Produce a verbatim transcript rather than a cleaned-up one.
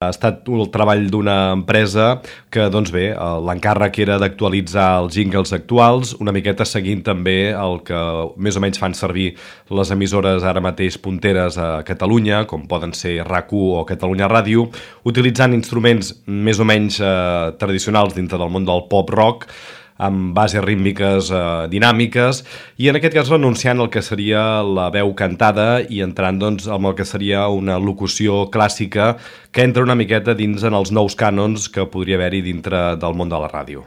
Ha estat el treball d'una empresa que, doncs bé, l'encàrrec era d'actualitzar els jingles actuals, una miqueta seguint també el que més o menys fan servir les emissores ara mateix punteres a Catalunya, com poden ser RAC u o Catalunya Ràdio, utilitzant instruments més o menys eh, tradicionals dintre del món del pop-rock, amb bases rítmiques eh, dinàmiques, i en aquest cas renunciant al que seria la veu cantada i entrant doncs, amb el que seria una locució clàssica que entra una miqueta dins en els nous cànons que podria haver-hi dintre del món de la ràdio.